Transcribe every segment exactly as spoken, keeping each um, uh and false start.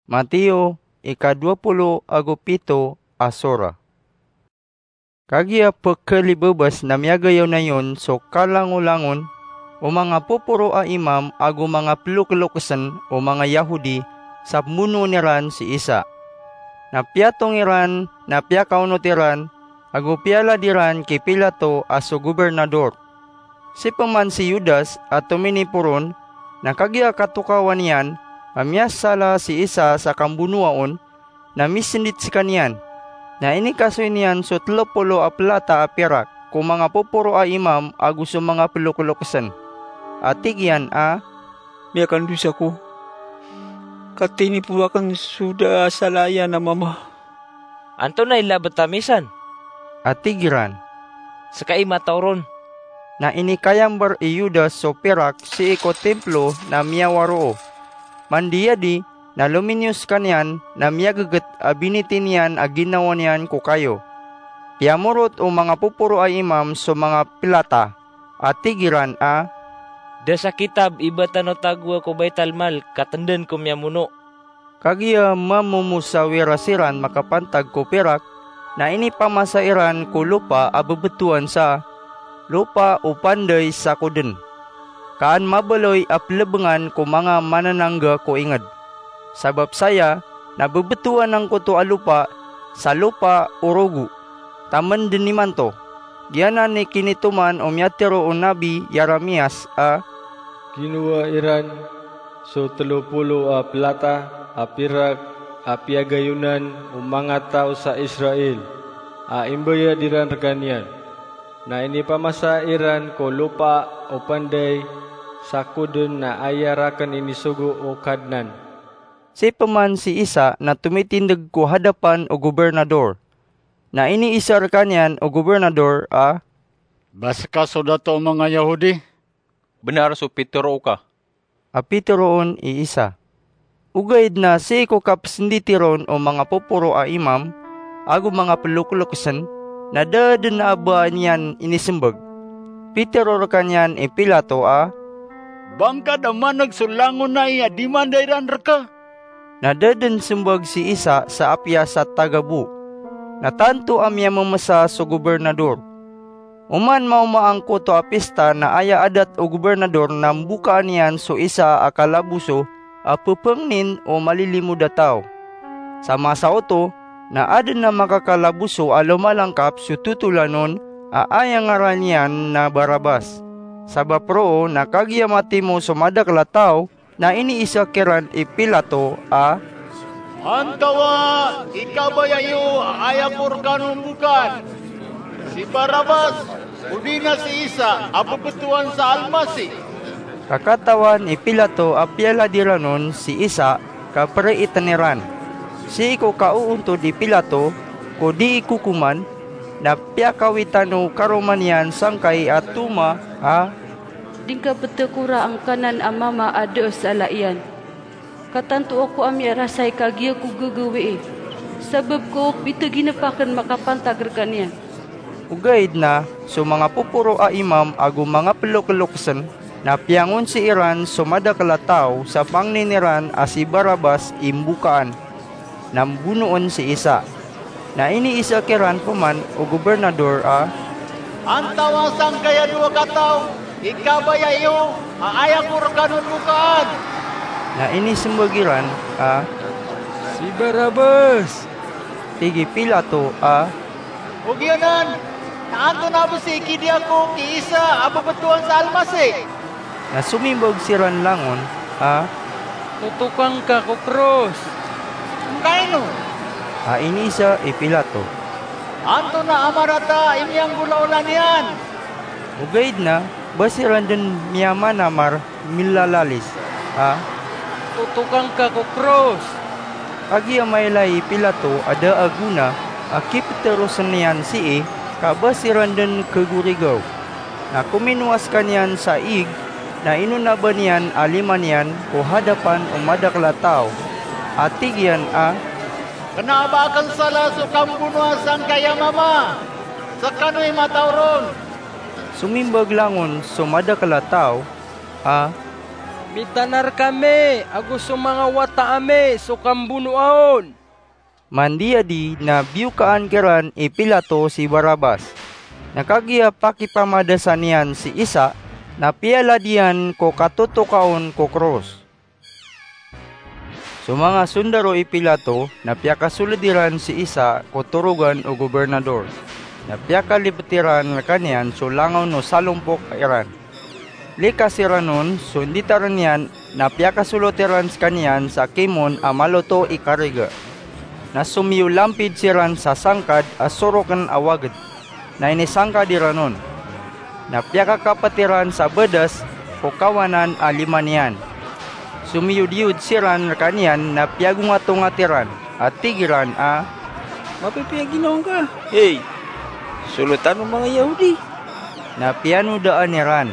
Mateo, ika dowa polo ago pito a sora. Kagiya pkhalibabas na miyagayaw na iyon so kalangolangon o manga poporo a imam ago manga ploklokesn o manga Yahudi sa pmbonoon iran si Isa. Na piyatong iran na piyakaonot iran ago piyalad iran ki Pilato a so gobernador. Si pman si Judas a tominipo ron, na kagiya katokawan iyan a miyasala si Isa sa kambonoa on, na misndit skaniyan. Na inikasoy niyan so tlo polo a plata a pirak ko manga poporo a imam ago so manga ploklokesn, a tig iyan a, "Miyakandosa ako, ka tinipo akn so da a sala iyan a mama." "Antonaa i labet ami san?" a tig iran. "Ska i mataw ron." Na inikayamber i Judas so pirak sii ko timplo na miyawaro. Mandiyadi na lominiyo skaniyan na miyageget a biniti niyan a ginawa niyan ko kayo. Piyamorot o manga poporo a imam so manga plata, a tig iran a, "Da sa kitab i ba tano tagoa ko Baitalmal ka tendaan ko miyamono." Kagiya mamomosawira siran makapantag ko pirak, na inipamasa iran ko lopa a bebetowan sa Lopa o Panday Sakoden, ka an mabaloy a pelebengan ko manga mananangga ko inged. Sabap saya na bebetowan angkoto a lopa sa Lopa o Rogo. Taman den imanto, giyanan i kinitoman o miyatharo o Nabi Jeremias a, "Ginowa iran so telo polo a plata a pirak a piyagayonan o manga taw sa Israel, a imbayad iran rekaniyan. Na inipamasa iran ko Lopa o Panday Sakoden na aya raken inisogo o Kadnan." Si pman si Isa na tomitindeg ko hadapan o gobernador. Na iniisa rekaniyan o gobernador a, "Ba ska so dato o manga Yahudi?" "Benar so pitero oka," a pitero on i Isa. Ogaid na sii ko kapesenditi ron o manga poporo a imam ago manga peloklokesen, na da den a ba niyan inisembag. Pitero rekaniyan i Pilato a, "Ba ngka da maneg so langon ai a dimanda iran reka?" Na da den sembag si Isa sa apiya sa tagabo. Na tanto a miyamemesa so gobernador. Oman maoma angkoto a pista na aya adat o gobernador na mbokaan iyan so isa a kalaboso a pepangnin o malilimod a taw. Sa masa oto na aden a makakalaboso a lomalangkap so totolan on a aya ngaran iyan na Barabas. Sabap roo na kagiya matimo so madakel a taw, na iniisa kiran i Pilato a, "Antawaa i kabaya iyo a aya ko rekano mbokaan? Si Barabas, odi na si Isa a bebetowan sa Almasih?" Ka katawan i Pilato a piyalad iran on si Isa ka pereiten iran. Sii ko kaoontod i Pilato ko dii kokoman, na piyakawitan o karoma niyan sangkai a toma a, "Di ngka petekora angkanan a mama a da a sala iyan. Ka tanto ako a miyarasay ka giya ko gagawii, sabap ko piteginep aken makapantag rekaniyan." Ogaid na so manga poporo a imam ago manga peloklokesen na piyangonsi iran so madakel a taw sa pangnin iran a si Barabas i mbokaan, na mbonoon si Isa. Na iniisa kiran peman o gobernador a, "Antawaa sangkaya dowa kataw i kabaya iyo a aya ko rekano mbokaan?" Na inisembag iran a, "Si Barabas." Tig i Pilato a, "Ogaid anan, na antonaa bo si ikidiya ko ki Isa a bebetowan sa Almasih?" Na somimbag siran langon a, "Totoka ngka ko kros." "Angkaino?" a iniisa i Pilato. "Antonaa a marata i miyanggolawla niyan?" Ogaid na ba siran den miyamanamar milalalis a, "Totoka ngka ko kros." Kagiya mailay i Pilato a da a gona a kipeterosen iyan sii ka ba siran den kagorigaw. Na kominowa sekaniyan sa ig, na inonaban iyan a lima niyan ko hadapan o madakel a taw, a tig iyan a, "Kena a ba aken sala so kambonoa sangkaya mama. Sekano i mataw ron." Somimbag langon so madakel a taw a, "Mitanar kami ago so manga wata ami so kambonoa on!" Mandiyadi na biyokaan kiran i Pilato si Barabas. Na kagiya pakipamadasan iyan si Isa, na piyalad iyan ko katotoka on ko kros. So manga sondaro i Pilato na piyakasoled iran si Isa ko torogan o gobernador. Na piyakalipet iran rekaniyan so langon o salompok iran. Likas iran on so inditaren iyan, na piyakasolot iran sekaniyan sa kimon a maloto i kariga. Na somiyolampid siran sa sangkad a soroken a waged. Na inisangkad iran on. Na piyakakapet iran sa bedas ko kawanan a lima niyan. Somiyodiyod siran rekaniyan na piyagongatongat iran, a tig iran a, "Mapipiya ginawa ngka, hey, solotan o manga Yahudi?" Na piyanodaan iran.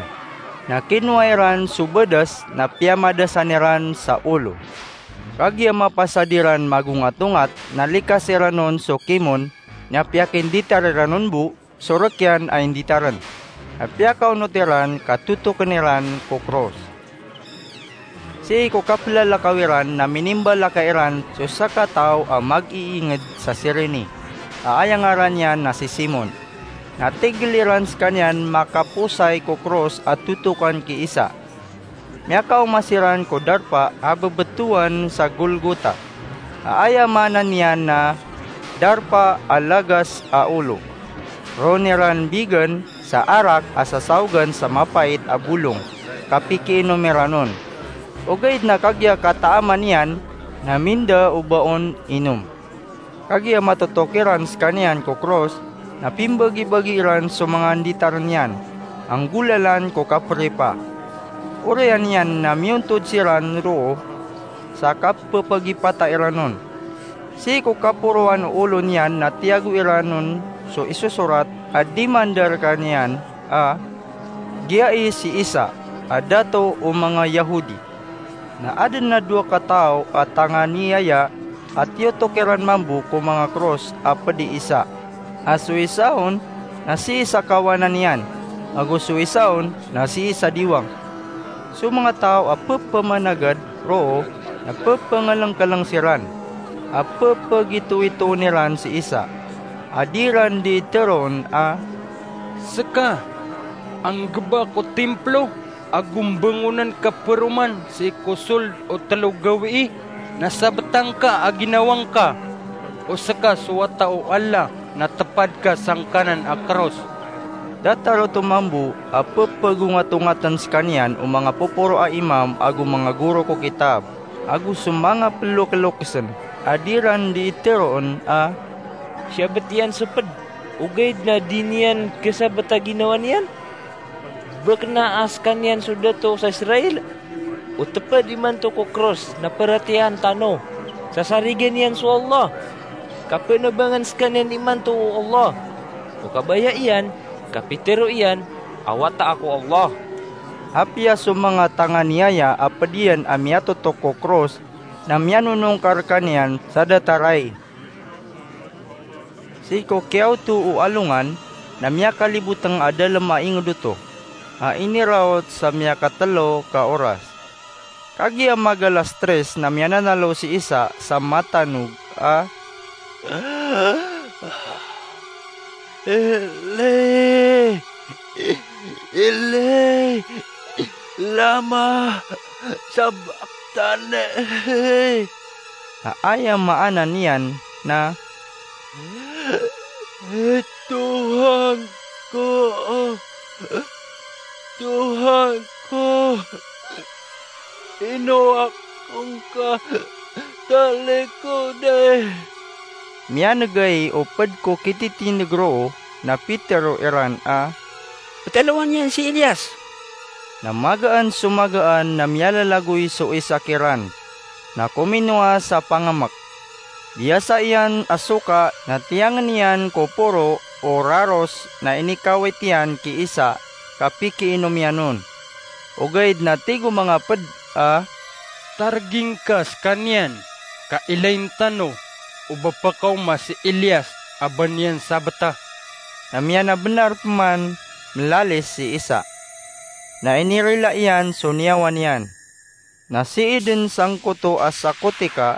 Na kinowa iran so bedas, na piyamadasan iran sa olo. Kagiya mapasad iran magongatongat, na likas iran on so kimon, na piyakinditar iran on bo so rek iyan a inditaren. Na piyakaonot iran ka totoken iran ko kros. Sii ko kapelalakaw iran na minimbalakay iran so sakataw a mag-iinged sa Cirene, a aya ngaran iyan na si Simon. Na tigel iran sekaniyan makaposay ko kros a totokan ki Isa. Miyakaoma siran ko darpa a bebetowan sa Golgota, a aya maana niyan na darpa a lagas a olo. Roon iran bigen sa arak a sasaogan sa mapait a bolong, ka pikiinom iran on. Ogaid na kagiya kataaman iyan, na minda o ba on inom. Kagiya matotok iran sekaniyan ko kros, na pimbagibagi iran so manga inditaren iyan, a nggolalan ko kaperipa. Oriyan iyan na miyontod siran roo sa kapepagipata iran on. Sii ko kaporoan o olo niyan na tiyago iran on so isosorat a dimanda rekaniyan a, "Giyai si Isa a dato o manga Yahudi." Na aden a dowa kataw a tanganiyaya a tiyotok iran mambo ko manga kros a ped i Isa, a so isa on na sii sa kawanan iyan, ago so isa on na sii sa diwang. So manga taw a pepemanagad roo na pepengelengkeleng siran, a pepegitoitoon iran si Isa, a di iran dii teroon a, "Seka a nggeba ko timplo ago mbengonan ka peroman sii ko sold o telo gawii, na sabeta ngka a ginawa ngka? O seka so Wata o Allah na tepad ka sangkanan a kros?" Datar oto mambo a pepegongatongaten sekaniyan o manga poporo a imam ago manga goro ko kitab, ago so manga pelokelokesen, a di iran dii teroon a, "Siyabet iyan so ped, ogaid na di niyan kesabet a ginawa niyan? Ba kena a sekaniyan so dato sa Israel? O teped imanto ko kros na paratiyayaan tano, sasarigen iyan so Allah. Kapenabangan sekaniyan imanto o Allah. O kabaya iyan, kapitero iyan a Wata Ako o Allah." Apiya so manga tanganiyaya a ped iyan a miyatotok ko kros na miyanonongka rekaniyan sa datar ai. Sii ko kiyaoto o alongan na miyakaliboteng a dalem a inged oto, a iniraot sa miyakatelo ka oras. Kagiya magalas tres na miyananalo si Isa sa matanog a, "Eli, Eli, lama sabachthani?" A aya maana niyan na, "Tuhan ko, Tuhan ko, ino ako ngka talikodi?" Miyanegay o ped ko kititindeg roo na pitero iran a, "Petalowan iyan si Elias." Na magaan so magaan na miyalalagoy so isa kiran, na kominowa sa pangemek. Biyasa iyan a soka na tiyangen iyan ko poro o raros na inikawit iyan ki Isa ka pikiinom iyan on. Ogaid na tig o manga ped a, "Targing ka sekaniyan ka ilayin tano o ba pekaoma si Elias a ba niyan sabeta." Na miyanabenar peman melalis si Isa, na inirila iyan so niyawa niyan. Na sii den sangkoto a sakotika,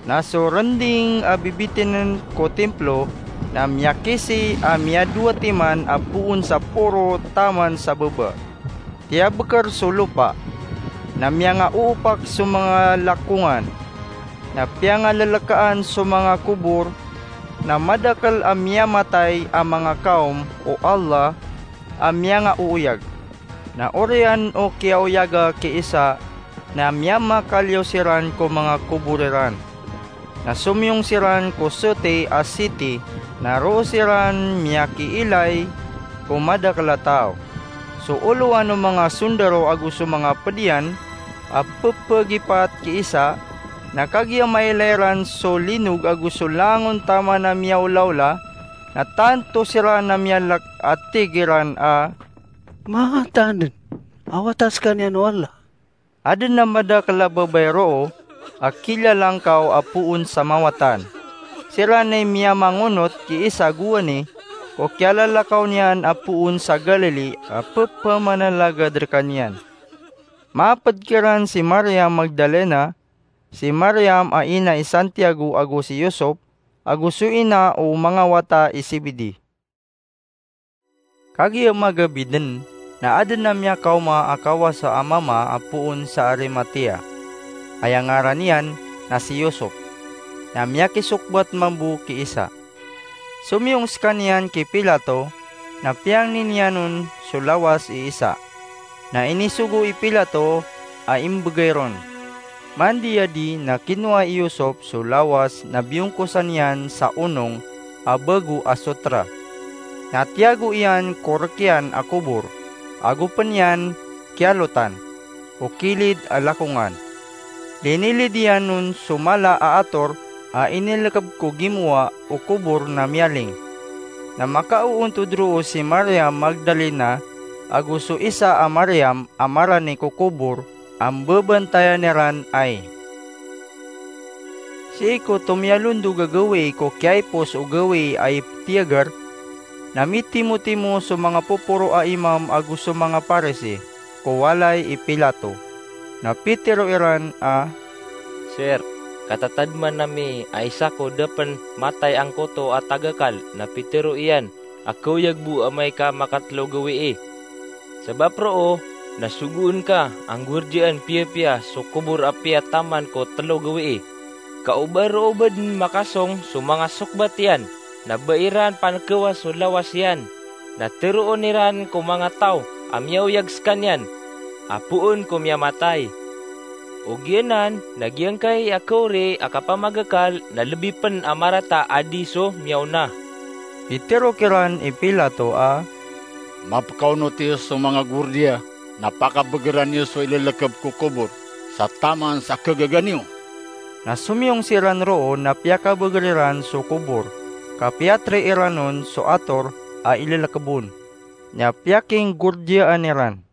na so rending a bibitinen ko timplo na miyakisi a miyadowa timan a poon sa poro taman sa baba. Tiyabeker so lopa, na miyangaoopak so manga lakongan, na piyangalelekaan so manga kobor, na madakel a miyamatay a manga kawm o Allah a miyangaooyag. Na oriyan o kiyaoyaga ki Isa na miyamakaliyo siran ko manga kobor iran. Na somiyong siran ko soti a siti, na roo siran miyakiilay ko madakel a taw. So olowan o manga sondaro ago so manga ped iyan a pepegipat ki Isa, na kagiya mailay ran so linog ago so langon taman a miyaolaola, na tanto siran a miyalek a tig iran a, "Mataan den a wata sekaniyan o Allah." Aden a madakel a babay roo a kilalangkaw a poon sa mawatan. Siran i miyamangonot ki Isa gowani ko kiyalalakaw niyan a poon sa Galili a pepamanalagad rekaniyan. Maped kiran si Mariam Magdalena, si Mariam a ina i Santiago ago si Yosop, ago so ina o manga wata i Zebedee. Kagiya magabi den, na aden a miyakaoma a kawasa a mama a poon sa Arimatea. Aya ngaran iyan na si Yosop, na miyakisokbat mambo ki Isa. Somiyong sekaniyan ki Pilato, na piyangni niyan on so lawas i Isa. Na inisogo i Pilato a imbegay ron. Mandiya di na kinowa i Yosop so lawas na biyongkosan iyan sa onong a bago a sotra. Na tiyago iyan ko rekiyan a kobor, ago pen iyan kiyalotan o kilid a lakongan. Linilid iyan on so mala a ator a inilekeb ko gimowa o kobor na miyaling. Na makaoontod roo si Mariam Magdalena ago so isa a Mariam a marani ko kobor a mbebantayan iran ai. Sii ko tomiyalondog a gawii ko kiyaipos o gawii a iptiyagar, na mitimotimo so manga poporo a imam ago so manga Parisi ko walay i Pilato. Na pitero iran a, "Sir, katatadman ami a isa ko da pen matay angkoto a tagakal na pitero iyan a kaoyag bo amay ka makatelo gawii. Sabap roo, na sogoon ka a nggordiyaan piyapiya so kobor apiya taman ko telo gawii. Ka o ba roo ba den makasong so manga sokbat iyan, na ba iran pankewa so lawas iyan, na teroon iran ko manga taw a miyaoyag sekaniyan a poon ko miyamatay. Ogaid anan, na giyangkai a kaori a kapamagakal na lebi pen a marata a di so miyaona." Pitero kiran i Pilato a, "Mapekaonot iyo so manga gordiya na pakabegeran iyo so ilelekeb ko kobor sa taman sa kagaga niyo." Na somiyong siran roo na piyakabeger iran so kobor, ka piyatri iran on so ator a ilelekeb on, na piyakinggordiyaan iran.